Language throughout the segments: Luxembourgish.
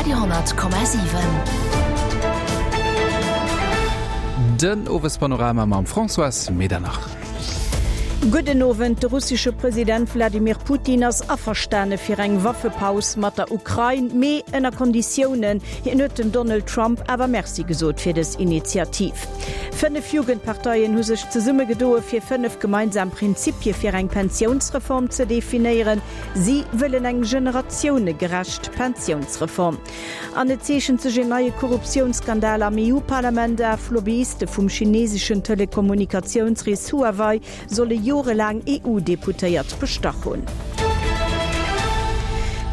Radio 10,7. Den Owespanorama mam Françoise Medernach. Gudden Owend. De russesche President Wladimir Putin ass averstane fir eng Waffepaus mat der Ukrain, mee ënner Konditiounen. Hien huet dem Donald Trump awer Merci gesot fir dës Initiativ. 5 Jugendparteien hu sech zesummegedoe fir 5 gemeinsam Prinzipie fir eng Pensiounsreform ze definéieren. Si wëllen eng generatiounegerecht Pensiounsreform. An et zeechent sech een neie Korruptiounsskandal am EU-Parlament af. Lobbyiste vum chineseschen Telekommunikatiounsris Huawei solle jorelaang EU-Deputéiert bestach hunn.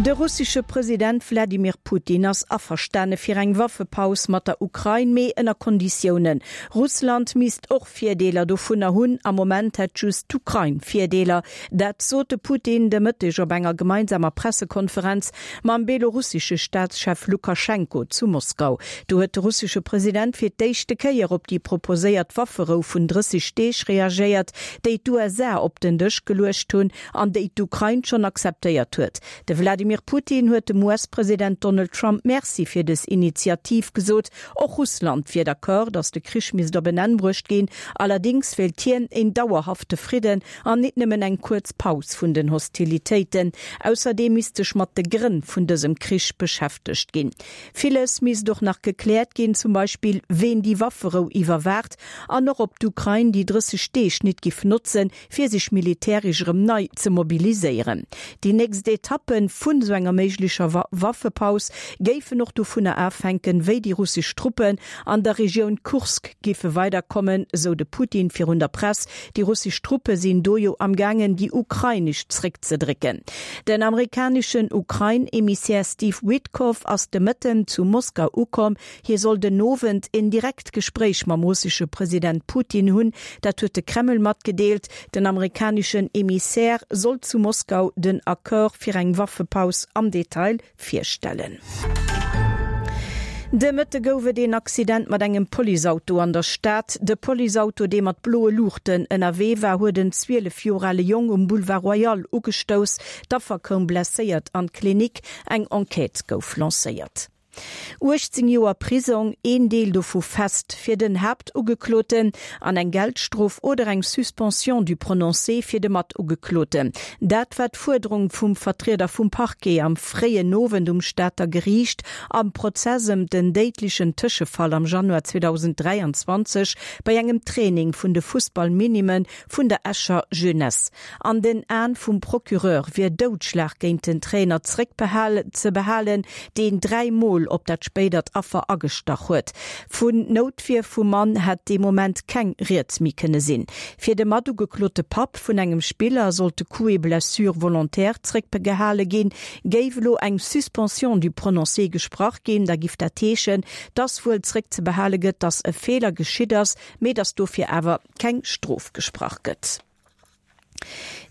De russesche President Wladimir Putin ass averstane fir eng Waffepaus mat der Ukrain, mee ënner Konditiounen. Russland misst och Virdeeler dovunner hunn. Am Moment hätt just d'Ukrain Virdeeler. Dat sot de Putin de Mëtteg op enger gemeinsamer Pressekonferenz mam belorussesche Staatschef Lukaschenko zu Moskau. Do huet de russesche President fir d'éischte Kéier op déi proposéiert Wafferou vun 30 Deeg reagéiert, déi d'USA op den Dësch geluecht hunn an déi d'Ukrain schonn akzeptéiert huet. De Wladimir Putin huet dem US-President Donald Trump Merci fir dës Initiativ gesot. Och Russland wier d'accord, datt de Krich misst op en Enn bruecht ginn. Allerdéngs wéilt hien een dauerhafte Fridden An nit nëmmen eng kuerz Paus vun den Hostilitéiten. Ausserdeem misst sech mat de Grënn vun dësem Krich beschäftegt ginn. Villes misst och nach gekläert ginn, zum Beispill ween déi Wafferou iwwerwaacht an och ob d'Ukrain déi 30 Deeg nit giff notzen, fir sech militäresch erëm nei ze mobiliséieren. Déi nächst Etappe vun esou enger méiglecher Waffepaus géifen och dovunner afhänken, wéi déi russesch Truppen an der Regioun Kursk giffe weiderkommen, esou de Putin virun der Press. Déi russesch Truppe sinn do jo am gaangen déi ukrainesch zréckzedrécken. Den amerikaneschen Ukrain-Emissär Steve Witkoff ass de Mëtten zu Moskau ukomm. Hie soll den Owend en direkt Gespréich mam russesche President Putin hunn. Dat huet de Kreml matgedeelt. Den amerikaneschen Emissär soll zu Moskau den Accord fir eng Waffepaus am Detail virstellen. De Mëtte gouf et een Accident mat engem Policeauto an der Stad. De Policeauto, dee mat bloe Luuchten ënnerwee war, huet en 12 Joer ale Jong um Boulevard Royal ugestouss. D'Affer koum blesséiert an d'Klinik. Eng Enquête gouf lancéiert. 18 Joer Prisong, een Deel dovu fest, fir den Haaptugekloten an eng Geldstrof oder eng Suspension du prononcé fir de Matugekloten. Dat war d'Fuerderung vum Vertrieder vum Parquet am fréien Owend um Stater Geriicht am Prozess ëm den déidlechen Tëschefall am Januar 2023 bei engem Training vun de Fussball-Minimme vun der Escher Jeunesse. An den Aen vum Procureur wier Doudschlag géint den Trainer zréck ze behalen, deen 3 Mol op dat spéidert Affer agestach huet. Vun Noutwier vum Mann hätt dee Moment keng Rieds méi kënne sinn. Fir de matugeklote Papp vun engem Spiller sollt de Coup et blessure volontaire zréckbegehale ginn. Géif elo eng Suspension du prononcé gesprach ginn, da giff dat heeschen, dass wuel zréckzebehale gëtt, dass e Feeler geschitt ass, mee dass dofir awer keng Strof gesprach gëtt.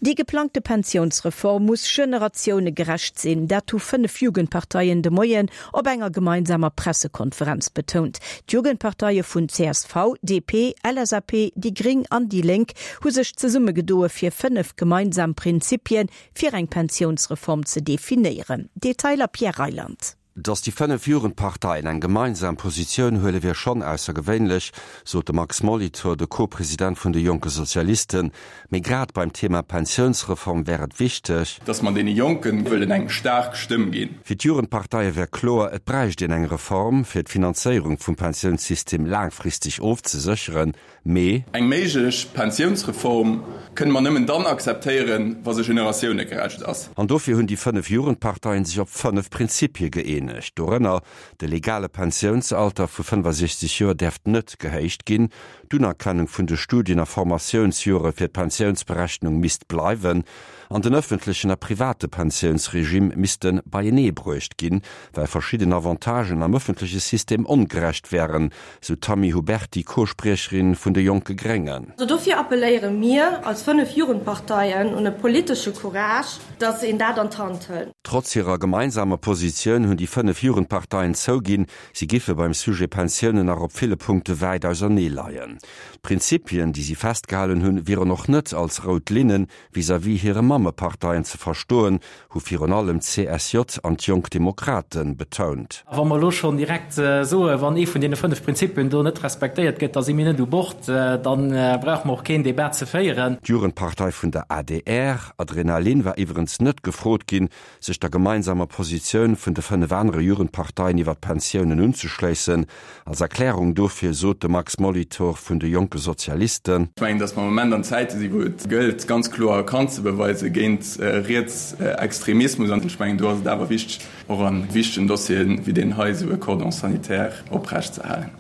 Déi geplangte Pensiounsreform muss generatiounegerecht sinn. Dat hu 5 Jugendparteien de Moien op enger gemeinsamer Pressekonferenz betount. D'Jugendparteie vun csv, DP, LSAP, déi gréng an déi Lénk hu sech zesummegedoe fir 5 gemeinsam Prinzipie fir eng Pensiounsreform ze definéieren. Detailer Pierre Reyland. Datt déi 5 Jugendparteien eng gemeinsam Positioun huele wier schonn aussergewéinlech, sot de Max Molitor, de Co-President vun de Jonke Sozialisten. Mee grad beim Thema Pensiounsreform wär et wichteg. Datt mer deene Jonken wëllen eng staark Stëmm ginn. Fir d'Jugendparteie wär kloer, et bräicht een eng Reform, fir d'Finanzéierung vum Pensiounssystem laangfristeg ofzesécheren. Mee. Eng méiglech Pensiounsreform kënne mer nëmmen dann akzeptéieren, wa se generatiounegerecht ass. An dofir hunn déi 5 Jugendparteien sech op 5 Prinzipie gëeenegt, dorënner, de legale Pensiounsalter vu 65 Joer däerft net gehéicht ginn, d'Unerkennung vun de Studien a Formatiounsjore fir d'Pensiounsberechnung misst bleiwen an den ëffentlechen a private Pensiounsregime misste beienee bruecht ginn, well verschidden Avantagen am ëffentleche System ongerecht wären, sou d'Tammy Huberty, Co-Spriecherin vun de Jonke Gréngen. Dofir appelléiere mir als 5 Jugendparteien un e politesche Courage, datt een dat an d'Hand hëlt. Trotz hirer gemeinsamer Positioun hunn déi. 5 Jugendparteien zouginn, si giffe beim Sujet Pensiounen nach op ville Punkte wäit ausernee leien. D'Prinzipien, déi si festgehalen hunn, wieren och net als rout Linne vis-à-vis hire Mammeparteien ze verstoen, hu virun allem d'CSJ an d'Jonk Demokrate betount. A wa mer elo schonn direkt soen, wann ee vun deene 5 Prinzipien do net respektéiert gëtt, da si mir net u Bord, da brauche mer och keen Debat ze féieren. D'Jugendpartei vun der adr, Adrenalin, war iwwerens net gefrot ginn, sech der gemeinsamer Positioun vun de 5 anere Jugendparteien iwwer d'Pensiounen unzeschléissen. Als Erklärung dofir sot de Max Molitor vun de Jonke Sozialisten. Ech mengen, datt mer am Moment an Zäite sinn, wou et gëllt, ganz kloer Kant ze beweise géint Rietsextremismus. An ech mengen, do ass et awer wichteg, och a wichtegen Dossieren wéi deen hei esou e Cordon sanitaire oprecht ze halen.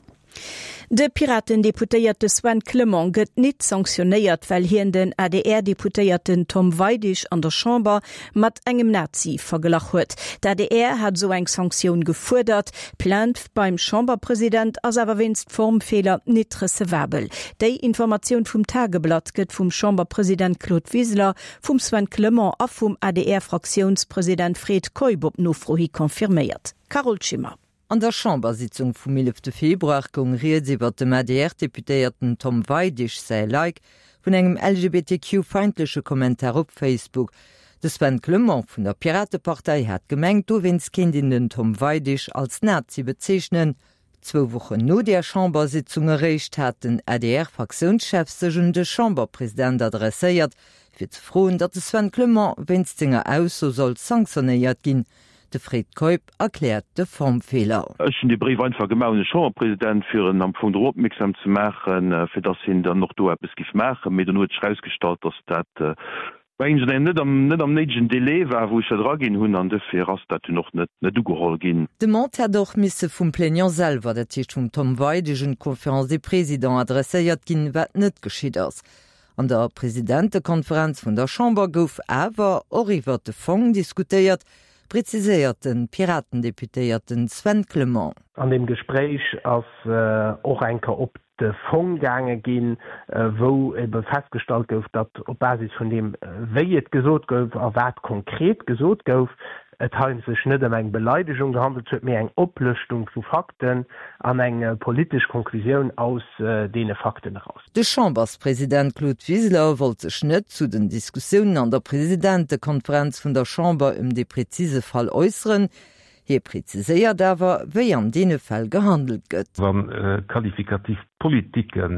De Piraten-Deputéierte Sven Clement gëtt nit sanktionéiert, well hien den ADR-Deputéierten Tom Weidig an der Chamber mat engem Nazi verglach huet. D'ADR hat esou eng Sanktioun gefuerdert. D'Plainte beim Chamberpresident ass awer wéinst Formfeeler nit recevabel. Déi Informatioun vum Tageblatt gëtt vum Chamberpresident Claude Wiseler, vum Sven Clement a vum ADR-Fraktiounspresident Fred Keup op Nofro hi confirméiert. Carole Schimmer. An der Chambersitzung vum 11 Februar goung rieds iwwert dem ADR-Deputéierten Tom Weidig säi Like vun engem LGBTQ-feindleche Kommentar op Facebook. De Sven Clement vun der Piratepartei hat gemengt, dowéinst kéint een den Tom Weidig als Nazi bezeechnen. Zwou Wochen no där Chambersitzung eréischt hat den ADR-Fraktiounschef sech un de Chamberpresident adresséiert, fir ze froen, datt de Sven Clement wéinst senger Ausso soll sanktionéiert ginn. De Fred Keup erkläert de Formfeeler. Ech hunn dee Bréif einfach gemaach un de Chamberpresident, fir en am Fong drop opmierksam ze maachen, fir datt hien dann och do eppes giff maachen. Mee dono huet sech erausgestallt, datt dat, mengen ech, net am, net am néidegen Délai war, wou ech dat eraginn hunn, an duerfir ass dat dunn och net, net ugeholl ginn. D'Demande hätt och misse vum Plaignant selwer, dat heescht vum Tom Weidig, un d'Conférence des Présidents adresséiert ginn, wat net geschitt ass. An der Presidentekonferenz vun der Chamber gouf awer och iwwert de Fong diskutéiert, preziséiert de Piratendeputéierten Sven Clement. An deem Gespréich ass och eng Kéier op de Fong gaange ginn, wou ebe festgestallt gouf, datt op Basis vun deem, wéi et gesot gouf a wat konkret gesot gouf, et hei sech net ëm eng Beleidegung gehandelt huet, mee eng Oplëschtung vu Fakten an eng politesch Konklusioun aus deene Fakten eraus. De Chamberspresident Claude Wiseler wollt sech net zu den Diskussiounen an der Presidentekonferenz vun der Chamber ëm dee prezise Fall äusseren. Hie preziséiert awer, wéi an deene Fäll gehandelt gëtt. Wa qualifikativ Politike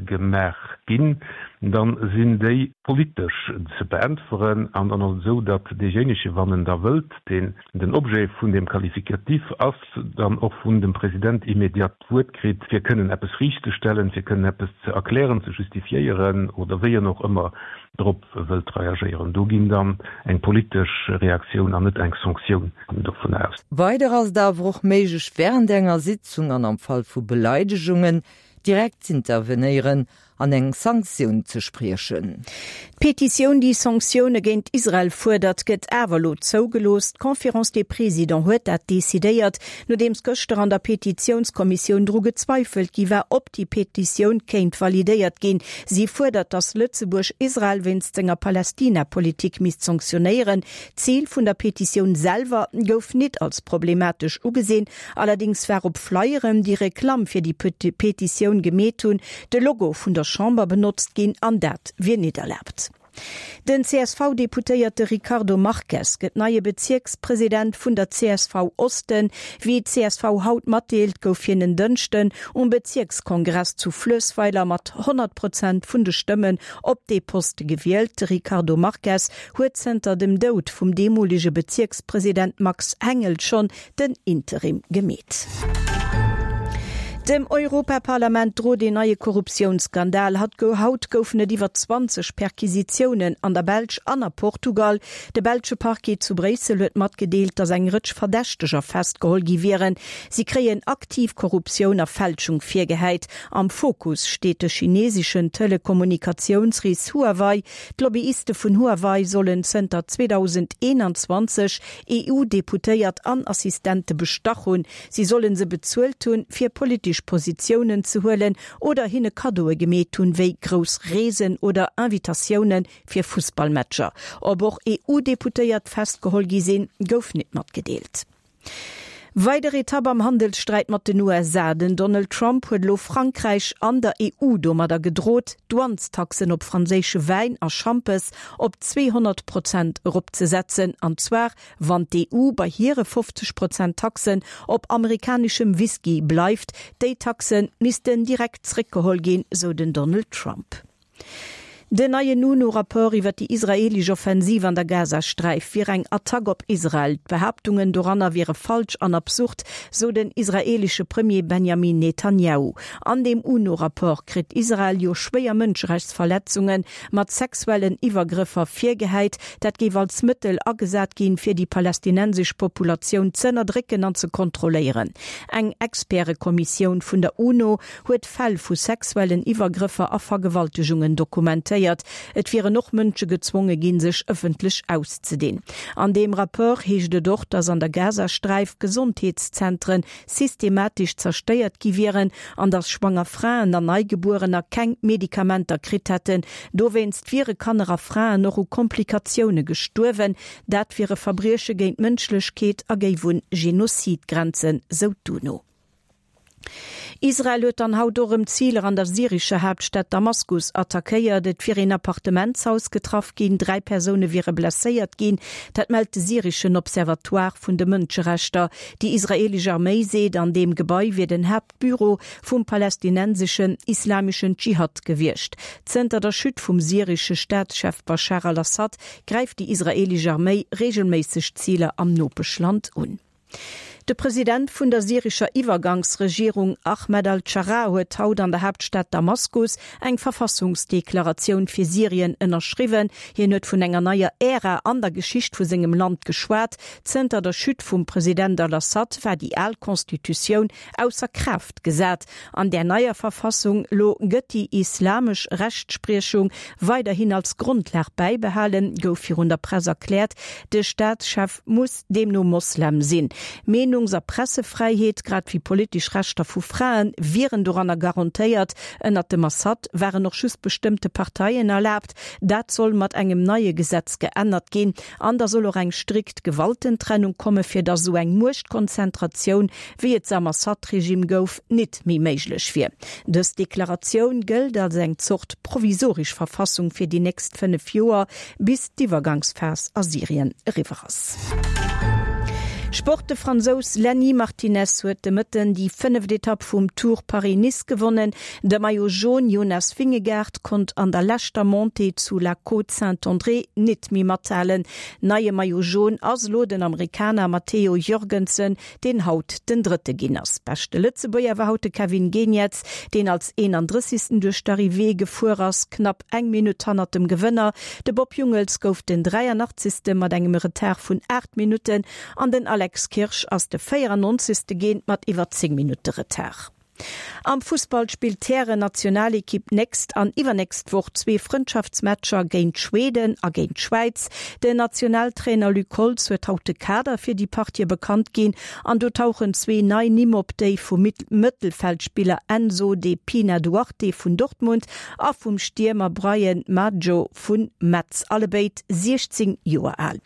gemaach ginn, da sinn déi politesch ze beäntweren. An dann ass et esou, datt deejéinege, wann en da wëllt, deen den Objet vun deem Qualificatif ass, dann och vun dem President immédiat d'Wuert kritt, fir kënnen eppes riichtzestellen, fir kënnen eppes ze erklären, ze justifiéieren oder wéi en och ëmmer drop wëllt reagéieren. Do ginn dann eng politesch Reaktioun an net eng Sanktioun dovun aus. Weider ass et awer och méiglech, wärend enger Sitzung an am Fall vu Beleidegungen direkt z'intervenéieren an eng Sanktioun ze spriechen. D'Petitioun, déi Sanktioune géint Israel fuerdert, gëtt awer elo zougelooss. D'Conférence des Présidents huet dat decidéiert, nodeems gëschter an der Petitiounskommissioun dru gezweifelt gi war, ob déi Petitioun kéint validéiert ginn. Si fuerdert, datt Lëtzebuerg Israel wéinst senger Palästina-Politik misst sanktionéieren. D'Zil vun der Petitioun selwer gouf nit als problematesch ugesinn. Allerdéngs war op Flyeren, déi Reklamm fir déi Petitioun gemeet hunn, de Logo vun der Chamber benotzt ginn an dat wier nit erlaabt. Den CSV-Deputéierte Ricardo Marques gëtt neie Bezierkspresident vun der csv Osten. Wéi d'CSV haut matdeelt, gouf hien en Dënschden um Bezierkskongress zu Fluessweiler mat 100 Prozent vun de Stëmmen op dee Poste gewielt. De Ricardo Marques huet zënter dem Doud vum deemolege Bezierkspresident Max Hengel schonn den Interim gemeet. Dem Europaparlament drot een neie Korruptiounsskandal. Haut goufen et iwwer 20 Perquisitiounen an der Belsch an a Portugal. De belsche Parquet zu Bréissel huet matgedeelt, datt eng Rëtsch Verdächteger festgeholl gi wieren. Si kréien aktiv Korruptioun a Fälschung virgehäit. Am Fokus steet de chineseschen Telekommunikatiounsris Huawei. D'Lobbyiste vun Huawei sollen zënter 2021 EU-Deputéiert an Assistente bestach hunn. Si solle se bezuelt hunn, fir politesch Positiounen ze huelen oder hinne Kaddoe gemeet hunn, wéi grouss Reesen oder Invitatioune fir Fussballmatcher. Ob och EU-Deputéiert festgeholl gi sinn, gouf net matgedeelt. Weider Etapp am Handelssträit mat den USA, Den Donald Trump huet elo Frankräich an der EU domadder gedrot, d'Douanestaxen op franséische Wäin a Schampes op 200 Prozent eropzesetzen, an zwar wann d'EU bei hire 50 Prozent Taxen op amerikaneschem Whisky bleift. Déi Taxe missten direkt zréckgeholl ginn, sou den Donald Trump. Den neien UNO-Rapport iwwer déi israeelesch Offensiv an der Gazasträif wier eng Attack op Israel. D'Behaaptungen doranner wiere falsch an absurd, sou den israeelesche Premier Benjamin Netanjahu. An deem UNO-Rapport kritt Israel jo schwéier Mënscherechtsverletzunge mat sexuellen Iwwergrëffer virgehäit. Dat géif als Mëttel agesat ginn, fir déi palästinensesch Populatioun z'ënnerdrécken an ze kontrolléieren. Eng Expertekommissioun vun der UNO huet Fäll vu sexuellen Iwwergrëffer a Vergewaltegungen dokumentéiert. Et wieren och Mënsche gezwonge ginn, sech ëffentlech auszedinn. An deem Rapport heescht et och, datt an der Gazasträif Gesondheetszentren systematesch zerstéiert gi wieren an datt schwanger Fraen an Neigebuerener keng Medikamenter kritt hätten. Dowéinst wiere Kanner a Fraen och u Komplikatioune gestuerwen. Dat wiere Verbrieche géint d'Mënschlechkeet a géif un Genozid grenzen, sou d'UNO. Israel huet dann haut och erëm Ziler an der syrescher Haaptstad Damaskus attackéiert. Et wier een Appartementshaus getraff ginn, 3 Persoune wiere blesséiert ginn. Dat mellt de syreschen Observatoire vun de Mënscherechter. Déi israeelesch Arméi seet, an deem Gebai wier den Haaptbüro vum palästinenseschen Islameschen Dschihad gewiescht. Zënter der Chute vum syresche Staatschef Baschar al-Assad gräift déi israeelesch Arméi reegelméisseg Ziler am Nopeschland un. De President vun der syrescher Iwwergangsregierung Ahmed al-Scharaa huet haut an der Haaptstad Damaskus eng Verfassungsdeklaratioun fir Syrien ënnerschriwwen. Hien huet vun enger neier Ära an der Geschicht vu sengem Land geschwat. Zënter der Chute vum President al-Assad war déi al Constitutioun ausser Kraaft gesat. An där neier Verfassung lo gëtt déi islamesch Rechtspriechung weiderhin als Grondlag bäibehalen, gouf virun der Press erkläert. De Staatschef muss deemno Moslem sinn. Meenungs a Pressefräiheet, grad wéi politesch Rechter vu Frae wieren doranner garantéiert. Ënnert dem Assad waren och just bestëmmte Parteien erlaabt. Dat soll mat engem neie Gesetz geännert ginn. An da soll och eng strikt Gewaltentrennung komme fir datt esou eng Muechtkonzentratioun, wéi et se am Assad-Regime gouf, nit méi méiglech wier. Dës Deklaratioun gëllt als eng Zort provisoresch Verfassung fir déi nächst 5 Joer, bis d'Iwwergangsphas a Syrien eriwwer ass. Sport, De Fransous Lenny Martinez huet de Mëtten déi fënneft Etapp vum Tour Paris-Nice gewonnen. De Maillot Jaune Jonas Vingegaard konnt an der leschter Montée zu La Côte-Saint-André nit méi mathalen. Neie Maillot Jaune ass elo den Amerikaner Matteo Jorgensen, deen haut den Drëtte ginn ass. Beschte Lëtzebuerger war haut de Kevin Geniets, deen als 31. Duerch d'Arrivée gefuer ass, knapp eng Minutt hannert dem Gewënner. De Bob Jungels gouf den 83. Mat engem Retard vun 8 Minutten an den Alex Kirsch ass de 94. Ginn mat iwwer 10 Minutte Retard. Am Fussball spillt d'Hären-Nationalekipp nächst an iwwernächst Woch zwee Frëndschaftsmatcher géint Schweden a géint d'Schwäiz. Den Nationaltrainer Luc Holtz huet haut de Kader fir déi Partië bekannt ginn an do tauchen zwee nei Nimm op, déi vum Mëttelfeldspiller Enzo De Pina Duarte vun Dortmund a vum Stiermer Bryan Maggio vu Metz, allebéid 16 Joer al.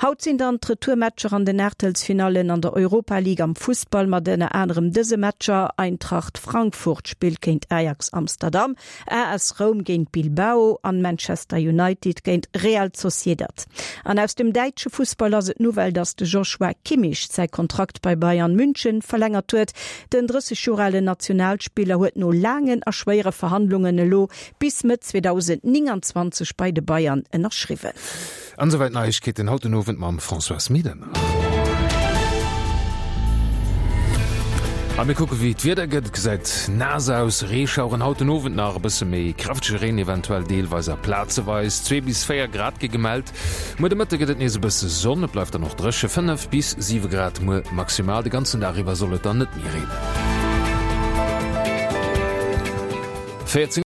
Haut sinn dann d'Retourmatcher an den Aachtelsfinallen an der Europa League am Fussball mat ënner anerem dëse Matcher, Eintracht Frankfurt spillt géint Ajax Amsterdam, AS Roum géint Bilbao an Manchester United géint Real Sociedad. An aus dem däitsche Fussball ass et d'Nouvelle, datt de Joshua Kimmich säi Kontrakt bei Bayern München verlängert huet. Den 30 Joer alen Nationalspiller huet no laangen a schwéiere Verhandlungen elo bis Mëtt 2029 bei de Bayern ënnerschriwwen. An esouwäit d'Neiegkeeten haut den Owend mam Françoise Medernach. A mir kucke wéi d'Wieder gëtt. Et gesäit naass aus, Reeschaueren haut den Owend nach, e bësse méi kräftege Reen eventuell deelweis a plazeweis. 2 bis 4 Grad gi gemellt. Muer de Mëtte gëtt et nees e bësse Sonn, et bleift dann och dréche, 5 bis 7 Grad muer maximal. De ganzen Dag iwwer soll et dann net méi reenen. 14.